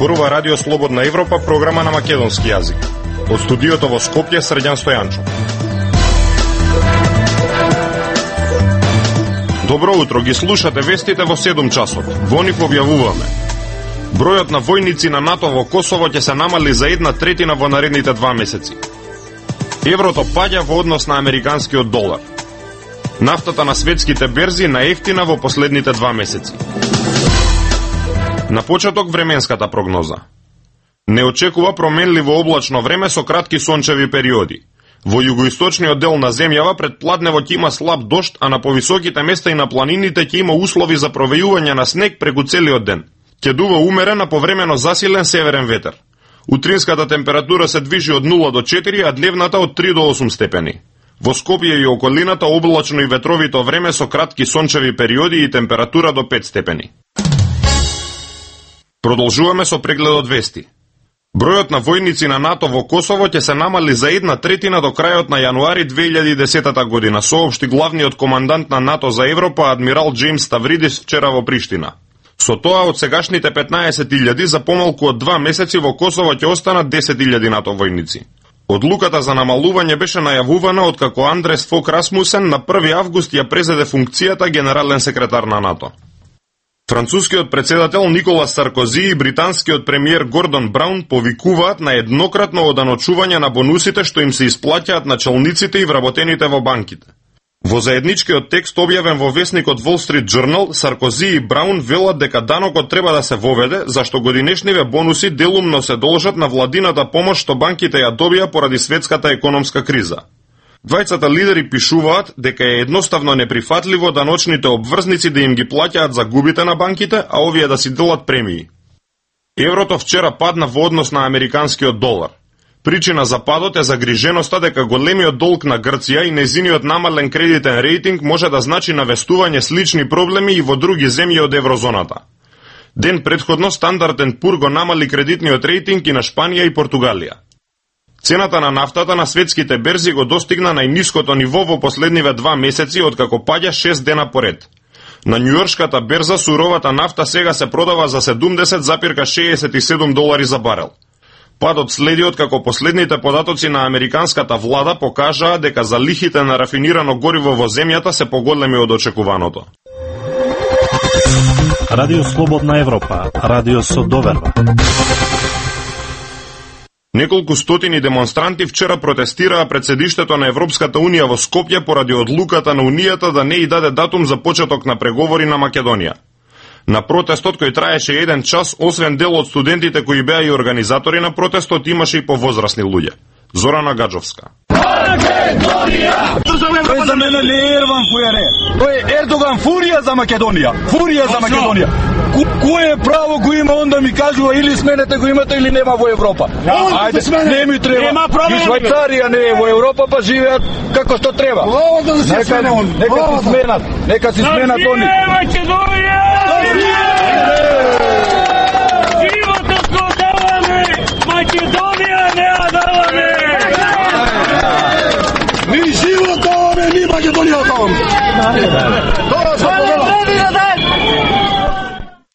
зборува Радио Слободна Европа, програма на македонски јазик. Од студиото во Скопје, Срđan Стојанчов. Добро утро, ги слушате вестите во 7 часот. Во нив објавуваме: бројот на војници на НАТО во Косово ќе се намали за 1/3 во наредните 2 месеци. Еврото паѓа во однос на американскиот долар. Нафтата на светските берзи наевтина во последните 2 месеци. На почеток временската прогноза. Не очекува променливо облачно време со кратки сончеви периоди. Во југоисточниот дел на земјава пред пладнево ќе има слаб дожд, а на повисоките места и на планините ќе има услови за провејување на снег преку целиот ден. Ќе дува умерен, а повремено засилен северен ветер. Утринската температура се движи од 0 до 4, а дневната од 3 до 8 степени. Во Скопје и околината облачно и ветровито време со кратки сончеви периоди и температура до 5 степени. Продолжуваме со прегледот вести. Бројот на војници на НАТО во Косово ќе се намали за 1/3 до крајот на јануари 2010 година, соопшти главниот командант на НАТО за Европа, адмирал Джеймс Ставридис, вчера во Приштина. Со тоа, од сегашните 15.000 за помалку од 2 месеци во Косово ќе останат 10.000 НАТО војници. Одлуката за намалување беше најавувана откако Андрес Фок Расмусен на 1 август ја презеде функцијата генерален секретар на НАТО. Францускиот председател Николас Саркози и британскиот премиер Гордон Браун повикуваат на еднократно оданочување на бонусите што им се исплаќаат на челниците и вработените во банките. Во заедничкиот текст објавен во весникот Wall Street Journal, Саркози и Браун велат дека данокот треба да се воведе, зашто годинешниве бонуси делумно се должат на владината помош што банките ја добија поради светската економска криза. Двајцата лидери пишуваат дека е едноставно неприфатливо даночните обврзници да им ги плаќаат загубите на банките, а овие да си делат премии. Еврото вчера падна во однос на американскиот долар. Причина за падот е загриженоста дека големиот долг на Грција и нејзиниот намален кредитен рейтинг може да значи навестување слични проблеми и во други земји од еврозоната. Ден претходно Standard & Poor го намали кредитниот рейтинг и на Шпанија и Португалија. Цената на нафтата на светските берзи го достигна најниското ниво во последниве 2 месеци откако паѓа 6 дена поред. На њујоршката берза суровата нафта сега се продава за $70,67 за барел. Падот следи откако последните податоци на американската влада покажаа дека залихите на рафинирано гориво во земјата се поголеми од очекуваното. Радио Слободна Европа, радио со доверба. Неколку стотини демонстранти вчера протестираа пред седиштето на Европската Унија во Скопје поради одлуката на Унијата да не и даде датум за почеток на преговори на Македонија. На протестот кој траеше 1 час, освен дел од студентите кои беа и организатори на протестот, имаше и повозрасни луѓе. Зорана Гаджовска. Тој за мене не е Ерван Фујаре. Тој е Ердоган фурија за Македонија. Фурија за Македонија. Кој е право го има, онда ми кажува или сменете го имате или нема во Европа. Ајде, не ми треба. И Швајцарија не е во Европа, па живеат како што треба. Нека си сменат они. Животот го даваме, Македонија не ја даваме. Ни живот даваме, ни Македонија даваме. Тоа се повела.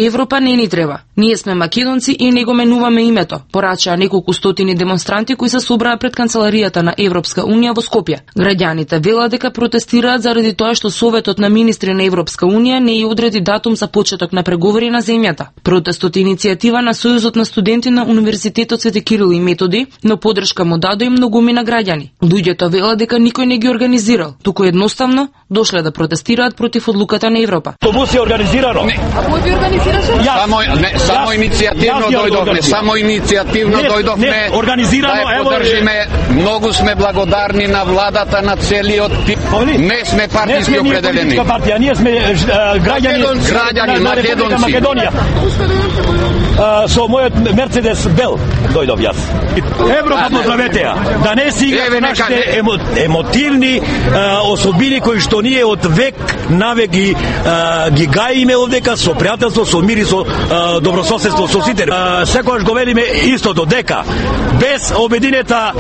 Европа не ни треба. Ние сме македонци и не го менуваме името, порачаа неколку стотини демонстранти кои се собраа пред канцеларијата на Европска Унија во Скопје. Граѓаните велат дека протестираат заради тоа што Советот на министри на Европска Унија не ја одреди датум за почеток на преговори на земјата. Протестот е иницијатива на Сојузот на студенти на Универзитетот Свети Кирил и Методи, но поддршка му даде и многумина граѓани. Луѓето велат дека никој не ги организирал, туку едноставно дошле да протестираат против одлуката на Европа. Автобус е организирано. А кој би организираше? Само иницијативно дојдовме, да ја поддржиме. Многу сме благодарни на владата, на целиот тип. Не сме партиски определени. Ние сме граѓани Македонија. Со мојот Мерцедес Бел дојдов јас. Европа поздравете ја. Да не сега нашите емотивни особини кои што ние од век навек ги гаиме овдека со пријателство, со мирисо добрососедство со сите. Секогаш го велиме истото, дека без обединета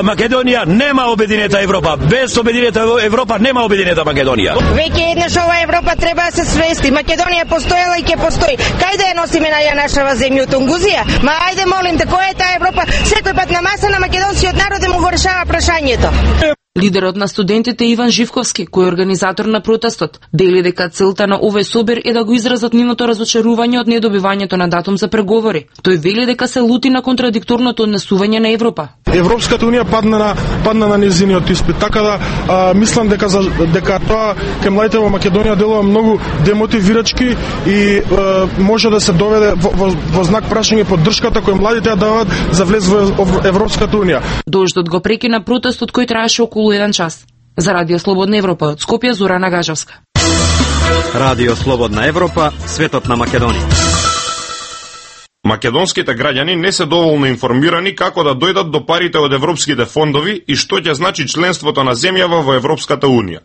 Македонија нема обединета Европа. Без обединета Европа нема обединета Македонија. Веќе еднаш ова Европа треба да се свести. Македонија постоела и ќе постои. Кај да ја носиме на ја нашава земја од Тунгузија? Ма ајде молим те, која е таа Европа? Секој пат на маса на македонскиот народ да му го решава прашањето. Лидерот на студентите Иван Живковски, кој е организатор на протестот, дели дека целта на овој собир е да го изразат нивното разочарување од недобивањето на датум за преговори. Тој вели дека се лути на контрадикторното однесување на Европа. Европската унија падна на незиниот испит, така да мислам дека тоа кај младите во Македонија делува многу демотивирачки и може да се доведе во знак прашање поддршката кој младите ја даваат за влез во Европската унија. Дождот го прекина протестот кој траеше околу 1 час. За Радио Слободна Европа од Скопје, Зорана Гажевска. Радио Слободна Европа, светот на Македонија. Македонските граѓани не се доволно информирани како да дојдат до парите од европските фондови и што ќе значи членството на земјава во Европската унија.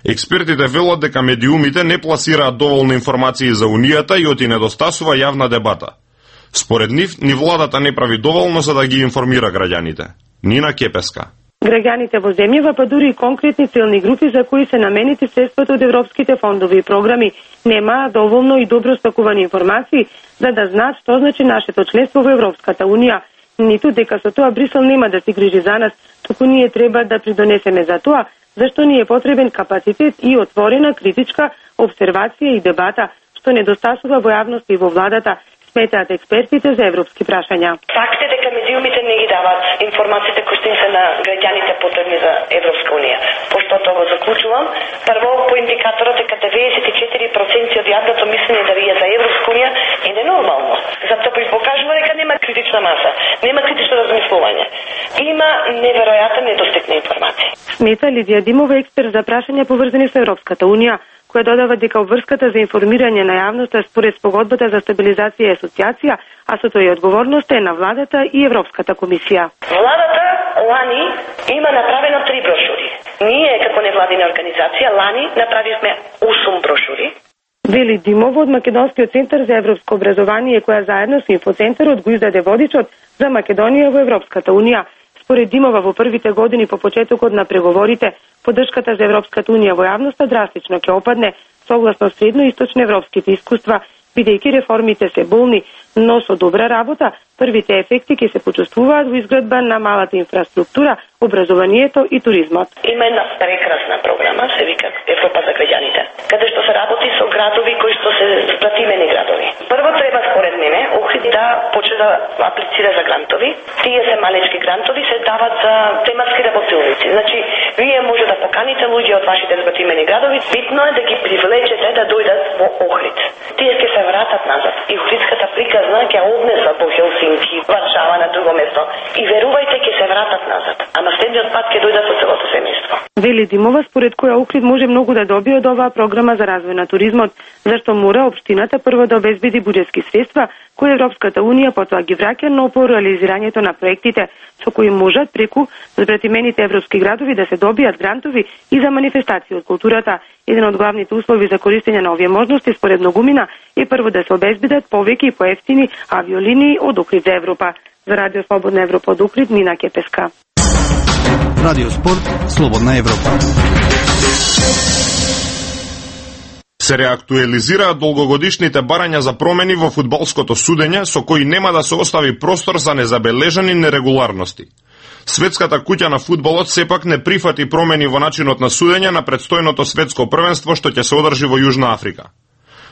Експертите велат дека медиумите не пласираат доволно информации за унијата и оти недостасува јавна дебата. Според нив, ни владата не прави доволно за да ги информира граѓаните. Нина Кепеска. Граѓаните во земјава, па дури и конкретни целни групи за кои се наменети средствата од европските фондови и програми, немаа доволно и добро стакувани информации за да знаат што значи нашето членство во Европската унија, ниту дека со тоа Брисел нема да се грижи за нас, туку ние треба да придонесеме за тоа, зашто ни е потребен капацитет и отворена критичка обсервација и дебата, што недостасува во јавноста и во владата, сметаат експертите за европски прашања. Факт е дека медиумите не ги дават информациите кои што им се на граѓаните потребни за Европска унија. Пошто тоа го заклучувам, прво по индикаторот дека 94% од јавното мислење да вие за Европска унија е ненормално. Затоа покажува дека нема критична маса, нема критично размислување. Има неверојатен недостиг на информации. Смета Лидија Димова, експерт за прашања поврзани со Европската унија, која додава дека обврската за информирање на јавноста според спогодбата за стабилизација и асоциација, а со тоа и одговорноста е на владата и Европската комисија. Владата лани има направено 3 брошури. Ние како невладина организација лани направивме 8 брошури. Вели Димова од Македонскиот центар за европско образование, која заедно со инфоцентарот го издаде водичот за Македонија во Европската унија. Според Димова, во првите години по почетокот на преговорите, поддршката за Европската унија во јавноста драстично ќе опадне, согласно средноисточноевропските искуства, бидејќи реформите се болни, но со добра работа, првите ефекти ќе се почувствуваат во изградба на малата инфраструктура, образованието и туризмот. Има една прекрасна програма, се вика Европа за граѓаните, каде што се работи со градови кои што се спратимени градови. Прво треба според мене Охрид да почне да аплицира за грантови. Тие се малечки грантови, се дават за тематски работилници. Значи, вие може да поканите луѓе од вашите спратимени градови, битно е да ги привлечете да дојдат во Охрид. Тие ќе се вратат назад и Охридската приказна ќе однеса по Хелсинки, Варшава на друго место и верувајте ќе се вратат назад. Ама следниот пат ќе дојдат со целото семејство. Вели Димова, според која Охрид може многу да добие од оваа програма за развој на туризмот, зашто мора општината прво да обезбеди буџетски средства кои Европската унија потоа ги враќа, но по реализирањето на проектите со кои можат преку збратимените европски градови да се добијат грантови и за манифестации од културата. Еден од главните услови за користење на овие можности според многумина е прво да се обезбедат повеќе и поевтини авиолинии од Охрид за Европа. За Радио Слободна Европа од Охрид, Нина Кепеска. Радио Спорт, Слободна Европа. Се реактуализираат долгогодишните барања за промени во фудбалското судење, со кои нема да се остави простор за незабележани нерегуларности. Светската куќа на фудбалот сепак не прифати промени во начинот на судење на предстојното светско првенство што ќе се одржи во Јужна Африка.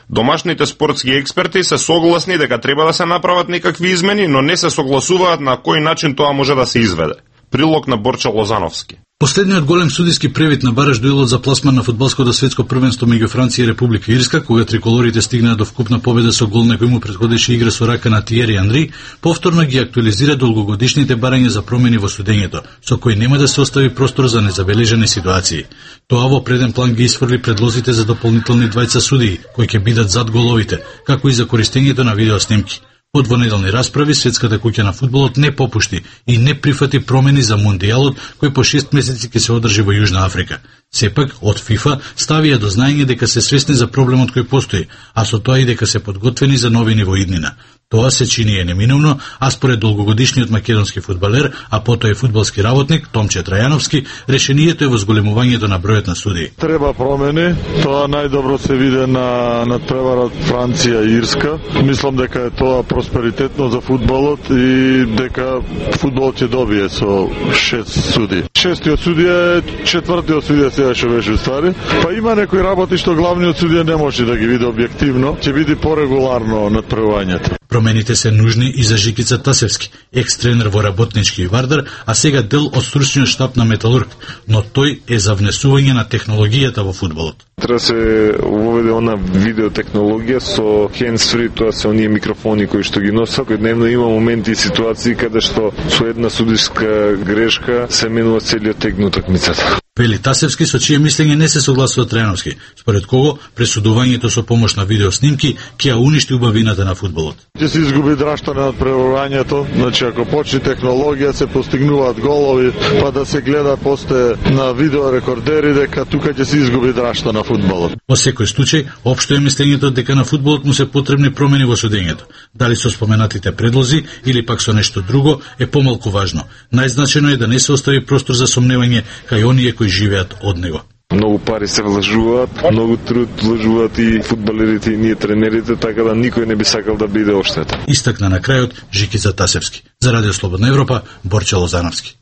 Домашните спортски експерти се согласни дека треба да се направат некакви измени, но не се согласуваат на кој начин тоа може да се изведе. Прилог на Борча Лозановски. Последниот голем судиски превид на бараш дуелот за пласман на фудбалското светско првенство меѓу Франција и Република Ирска, кога триколорите стигнаа до вкупна победа со гол на кој му претходеше игра со рака на Тиери Анри, повторно ги актуализира долгогодишните барања за промени во судењето, со кои нема да се остави простор за незабележани ситуации. Тоа во преден план ги исфрли предлозите за дополнителни двајца судии, кои ќе бидат зад головите, како и за користењето на видеоснимки. По двонеделни расправи, Светската куќа на фудбалот не попушти и не прифати промени за Мондијалот, кој по 6 месеци ќе се одржи во Јужна Африка. Сепак, од ФИФА ставија до знаење дека се свесни за проблемот кој постои, а со тоа и дека се подготвени за новини во иднина. Тоа се чини неминовно, а според долгогодишниот македонски фудбалер, а потоа и фудбалски работник Томче Трајановски, решението е во зголемувањето на бројот на судии. Треба промени, тоа најдобро се виде на надпреварот Франција и Ирска. Мислам дека е тоа просперитетно за фудбалот и дека фудбалот ќе добие со 6 судии. Шестиот судија е четвртиот судија сега што беше стари. Па има некои работи што главниот судија не може да ги види објективно, ќе биде порегуларно надпревањето. Промените се нужни и за Жикица Тасевски, екс-тренер во Работнички и Вардар, а сега дел од стручниот штаб на Металург, но тој е за внесување на технологијата во фудбалот. Треба се уведе она видеотехнологија со hands-free, тоа се оние микрофони кои што ги носат. Дневно има моменти и ситуации каде што со една судиска грешка се менува целиот тек на утакмицата. Вели Тасевски, со чие мислење не се согласува Трајановски, според кого пресудувањето со помош на видеоснимки ќе ја уништи убавината на фудбалот. Ќе се изгуби драшта на надпреварувањето, значи ако почне технологија се постигнуваат голови, па да се гледа после на видеорекордери дека тука ќе се изгуби драшта на фудбалот. Во секој случај, општо е мислењето дека на фудбалот му се потребни промени во судењето. Дали со споменатите предлози или пак со нешто друго е помалку важно. Најзначено е да не се остави простор за сомневање кај оние кои живеат од него. Многу пари се влажуваат, многу труд влажуваат и фудбалерите и ние тренерите, така да никој не би сакал да биде оштетен. Истакна на крајот Жикица Тасевски. За Радио Слободна Европа, Борче Лозановски.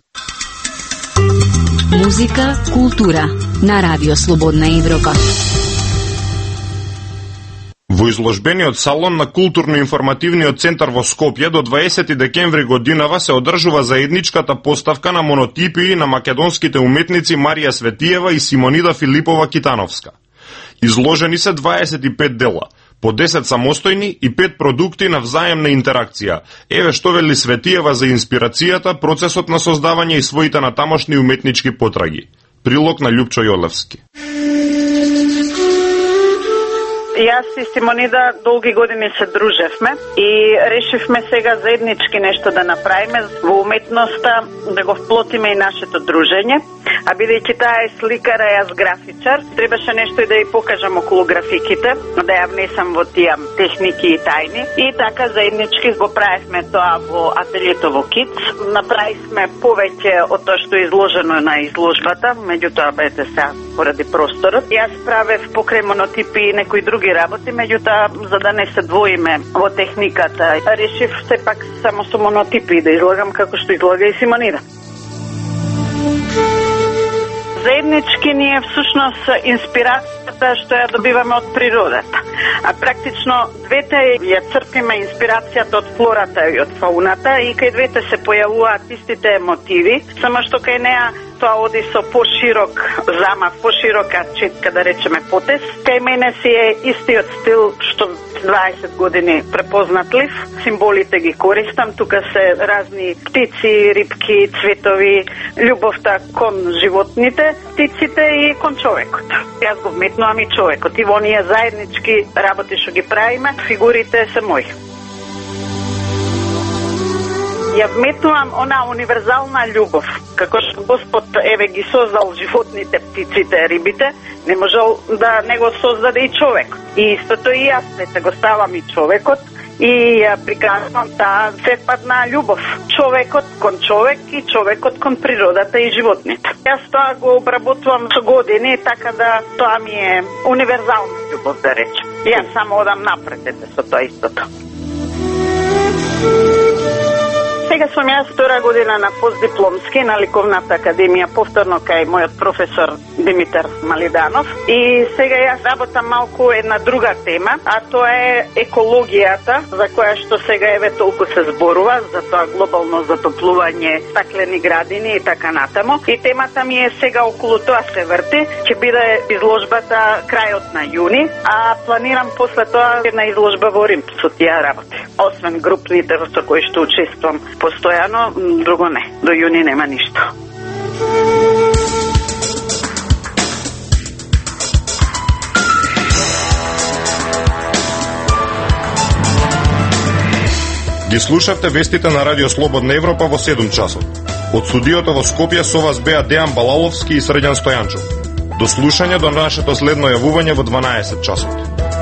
Музика, култура на Радио Слободна Европа. Во изложбениот салон на Културно-информативниот центар во Скопје до 20 декември годинава се одржува заедничката поставка на монотипии на македонските уметници Марија Светиева и Симонида Филипова Китановска. Изложени се 25 дела, по 10 самостојни и 5 продукти на взаемна интеракција. Еве што вели Светиева за инспирацијата, процесот на создавање и своите натамошни уметнички потраги. Прилог на Љупчо Јолевски. Јас и Симонида долги години се дружевме и решивме сега заеднички нешто да направиме во уметноста, да го вплотиме и нашето дружење. А бидејќи таа е сликар, а јас графичар, требаше нешто и да ја покажам околу графиките, да ја внесам во тие техники и тајни. И така заеднички го правевме тоа во ателието во КИЦ. Направивме повеќе од тоа што е изложено на изложбата, меѓутоа бете сега поради просторот. Јас правев покрај монотипи и некои други работи, меѓутоа за да не се двоиме во техниката, решив сепак само со монотипи да излагам како што излага и Симонида. Заеднички ни е всушност инспирацијата што ја добиваме од природата. А практично двете ја црпиме инспирацијата од флората и од фауната и кај двете се појавуваат истите мотиви, само што кај неа тоа оди со поширок замах, поширока четка, да речеме потез. Кај мене си е истиот стил што 20 години препознатлив. Символите ги користам, тука се разни птици, рибки, цветови, љубовта кон животните, птиците и кон човекот. Јас го вметнувам и човекот и во оние заеднички работи што ги правиме, фигурите се мои. Ја вметнувам она универзална љубов, како што Господ еве ги создал животните, птиците, рибите, не можел да не го создаде и човек. И истото и јас се го ставам и човекот и ја приказвам таа сепадна љубов. Човекот кон човек и човекот кон природата и животните. Јас тоа го обработувам со години, така да тоа ми е универзална љубов, да речем. Јас само одам напред со тоа истото. Сега сум јас втора година на постдипломски на Ликовната академија, повторно кај мојот професор Димитар Малиданов. И сега јас работам малку една друга тема, а тоа е екологијата, за која што сега еве толку се зборува, за тоа глобално затоплување, стаклени градини и така натаму. И темата ми е сега околу тоа се врти, ќе биде изложбата крајот на јуни, а планирам после тоа една изложба во Рим со тие работи. Освен групните со кои што учествувам постојано, друго не. До јуни нема ништо. Ги слушавте вестите на Радио Слободна Европа во 7 часот. Од студиото во Скопје со вас беа Дејан Балаловски и Срđan Стојанчов. До слушање до нашето следно јавување во 12 часот.